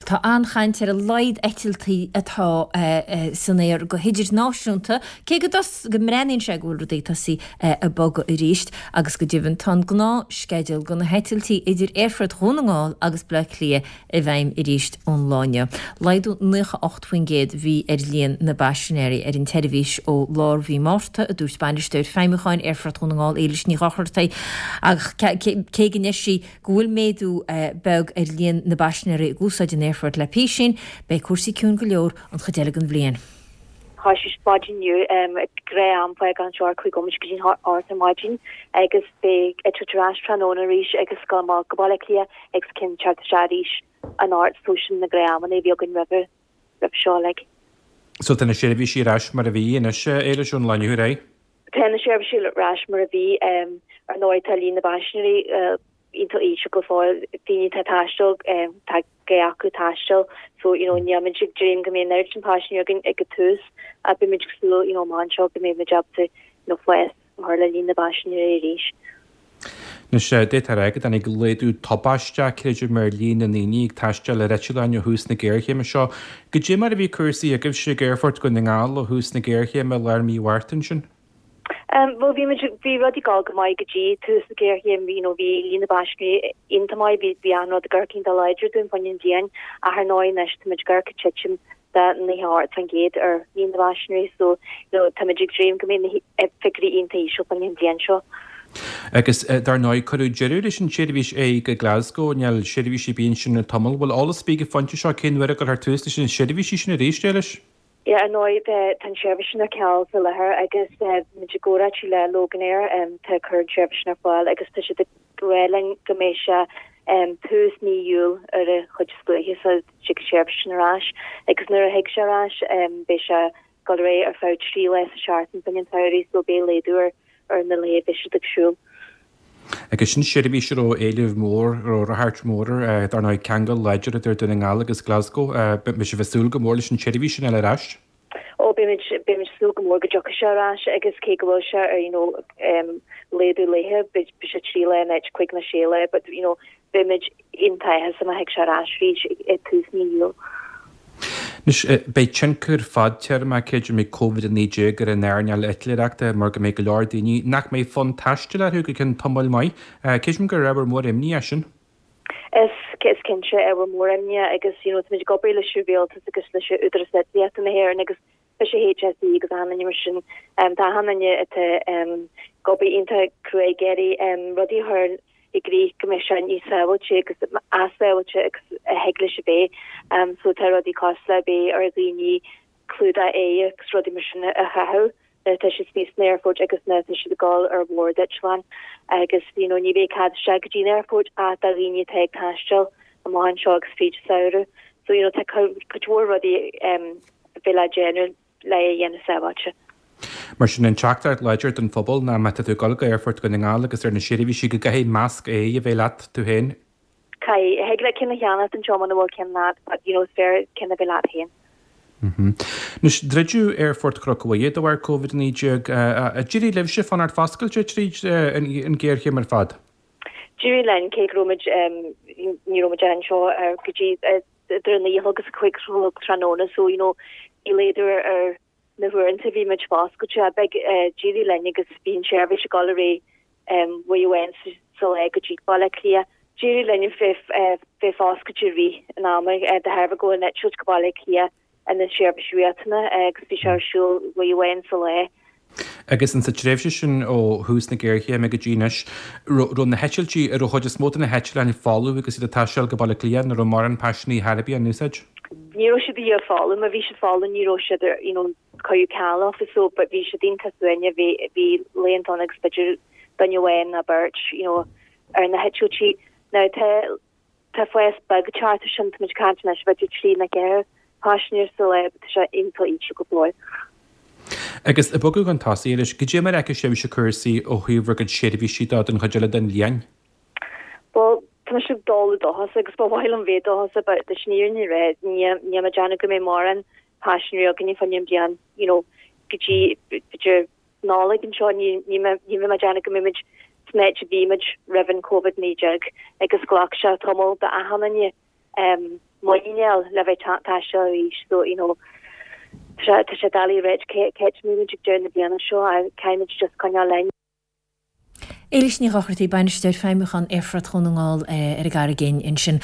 Tá an-chaint ar a laghad eitiltí atá san aer go hidirnáisiúnta, cé go go mbreathnaíonn sé go bhfuil rudaí ag tosaí ag bogadh arís agus go deimhin tá an gnáthsceideal do na heitiltí idir Aerfort Dhún na nGall agus Baile Átha Cliath i bhfeidhm arís ón lá inniu. Laghdú 98% a bhí ar líon na bpaisinéirí ar an tseirbhís ó lár mhí Márta, a dúirt Bainisteoir Feidhmiúcháin Aerfort Dhún na nGall, Éilis Ní Dhochartaigh, ach cé go ndeir sí go bhfuil méadú beag ar líon na bpaisinéirí ag úsáid an aerfoirt le písín, beidh cúrsaí ciúin go leor an chuid eile den bhliain. Thosaigh siad maidin inniu ag gnáth-am fágáil anseo ar 5 nóiméad go dtí a 8 ar maidin agus beidh eitilt ar ais tráthnóna arís agus dul amach go Baile Átha Cliath agus ceann teacht isteach arís anocht so sin na gnáth-amanna a bhí againn roimhe roimhe seo like. So tá na seirbhísí ar ais mar a bhí anois, Éilis, ón lá inniu ar aghaidh? Tá na seirbhísí ar ais mar a bhí. Ar ndóigh tá líon na bpaisinéirí iontach íseal go fóill, daoine atá ag taisteal, tá gá acu taisteal so you know níl muid ag dréim go mbeidh an oiread sin paisinéirí againn ag an tús ach beidh muid ag súil you know amach anseo go mbeidh muid ábalta you know fás a chur le líon na bpaisinéirí arís. Anois, d'fhéadfá a rá go dtáinig laghdú tubaisteach, creidim, ar líon na ndaoine ag taisteal ar eitleáin ó thús na géarchéime seo. Goidé mar a bhí cúrsaí agaibhse ag Aerfort Dhún na nGall ó thús na géarchéime i lár mí Mhárta ansin? Bhuel, bhí muid, bhí rudaí ag dul go maith go dtí tús na géarchéime, you know, bhí líon na bpaisinéirí iontach maith, bhí, bhí achan rud ag amharc iontach láidir dúinn fá choinne an bhliain ach ar ndóigh anois tá muid ag amharc ag titim de 98% ar líon na bpaisinéirí so you know táimid ag dréim go mbeidh na figiúirí iontach íseal fá choinne an bhliain seo. Agus dar ndóigh cuireadh deireadh leis an tseirbhís aghaidh go Glasgow, níl seirbhís ar bith ansin le tamall. Bhfuil eolas ar bith ag an phointe seo cén uair a gcuirfear tús leis na seirbhísí sin arís, Éilis? Yeah, ar ndóigh tá an tseirbhís sin ar ceal faoi láthair agus tá muid i gcomhráití le Loganair atá ag cur an tseirbhís sin ar fáil agus tá siad ag rá linn go mbeidh sé tús mí Iúil ar an chuid is luaithe so tig an tseirbhís sin ar ais agus nuair a thig sé ar ais beidh sé ag dul ar aghaidh ar feadh 3 lá sa seachtain fá choinne an tsamhraidh so beidh laghdú ar ar na laetha a bheidh siad ag siúl. Agus sin seirbhís a raibh éileamh mór, a raibh ráchairt mhór air, dar ndóigh ceangal láidir idir Dún na nGall agus Glasgow. Beidh sibh ag súil go mór leis an tseirbhís sin a fháil ar ais. Ó, beimid, beimid ag súil go mór go dtiocfaidh sé ar ais agus cé go bhfuil sé ar, you know, laghdú laetha, beidh sé 3 lá in áit 5 nó 6 lá, but, you know, beimid iontach áthasach má thig sé ar ais arís ag tús mí Iúil. Anois, beidh tionchar fadtéarmach, creidim, ag Covid-19 ar an earnáil eitléireachta mar go mbeidh go leor daoine nach mbeidh fonn taistil orthu go ceann tamaill maith. Creidim gur ábhar mór imní é sin. Is, is cinnte, ábhar mór imní agus you know táimid ag obair leis an rialtas agus leis an Údarás Eitlíochta na hÉireann agus leis an HSE agus achan duine mar sin. Tá achan duine atá ag obair iontach crua ag iarraidh rudaí a chur i gcrích go mbeidh sé níos sábháilte agus as sábháilte agus a thig leis a bheith. So tá rudaí cosúil le beidh ar dhaoine clúdach aghaidhe agus rudaí mar sin a chaitheamh nuair atá siad istigh san aerfort agus nuair atá siad ag dul ar bhord eitleáin agus you know ní bheidh cead isteach go dtí an aerfort ach do dhaoine atá ag taisteal amach anseo agus fríd an samhradh. So you know tá cuid mhór rudaí um, a bheidh le déanamh le é a dhéanamh sábháilte. Mar sin, an teachtaireacht láidir don phobal ná má tá tú ag dul go Aerfort Dhún na nGall agus ar na seirbhísí go gcaithfidh masc aghaidhe a bheith leat tú féin. Caithfidh. Thig leat ceann a cheannacht anseo muna bhfuil ceann leat but you know is fearr ceann a bheith leat féin. Anois, druideadh Aerfort Chnoc Mhuire de bharr Covid-19. D'éirigh libhse fanacht foscailte tríd an ghéarchéim ar fad? D'éirigh linn, cé go raibh muid, ní raibh muid anseo go dtí idir a naoi a chlog agus a cúig a chlog tráthnóna so you know bhí laghdú ar na huaireanta a bhí muid foscailte but d'éirigh linn agus bhí an tseirbhís ag dul ar aghaidh uair amháin sa lá go dtí Baile Átha Cliath. D'éirigh linn bheith foscailte i rith an ama de thairbhe go bhfuil an eitilt go Baile Átha Cliath ina seirbhís riachtanach agus bhí sé ar siúl uair amháin sa lá. Agus in sa tréimhse sin ó thús na géarchéime go dtí anois, raibh na heitiltí, raibh an chuid is mó de na heitleáin folamh agus iad ag taisteal go Baile Átha Cliath, nó raibh mórán paisinéirí thar a bith á n-úsáid? Ní raibh siad a dhath folamh, má bhí siad folamh ní raibh siad ar, you know, cuireadh ceal orthu so but bhí siad iontach suaimhneach, bhí, bhí laethanta ann agus b'fhéidir duine amháin nó beirt, you know, ar na heitiltí. Now tá, Tá fás beag ag teacht ar sin, táimid ag caint anois b'fhéidir 3 nó 4 paisinéir sa lá, but tá sé iontach íseal go fóill. Agus ag bogadh chun tosaigh arís, goidé mar a fheiceann sibhse cúrsaí ó thaobh bhur gcuid seirbhísí de don chuid eile den bhliain? Bhuel, tá mise ag dul dóchasach agus ba mhaith liom bheith dóchasach but leis an fhírinne a rá, níl mé ag déanamh go mbeidh mórán paisinéirí againne fá choinne an bhliain, you know, go dtí b'fhéidir Nollaig anseo, ní bheidh mé ag déanamh go mbeidh muid san áit a bhí muid roimh an Covid-19 agus ghlac sé tamall d'achan duine. muinín a fháil le bheith ag taisteal arís so you know tá sé tá sé doiligh a ráit cá háit a mbeidh muid ag deireadh na bliana seo ach caithfimid just coinneáil linn. Éilís Ní Dhochartaigh, Bainisteoir Feidhmiúcháin Aerfort Dhún na nGall ar an gCarraig Fhinn ansin.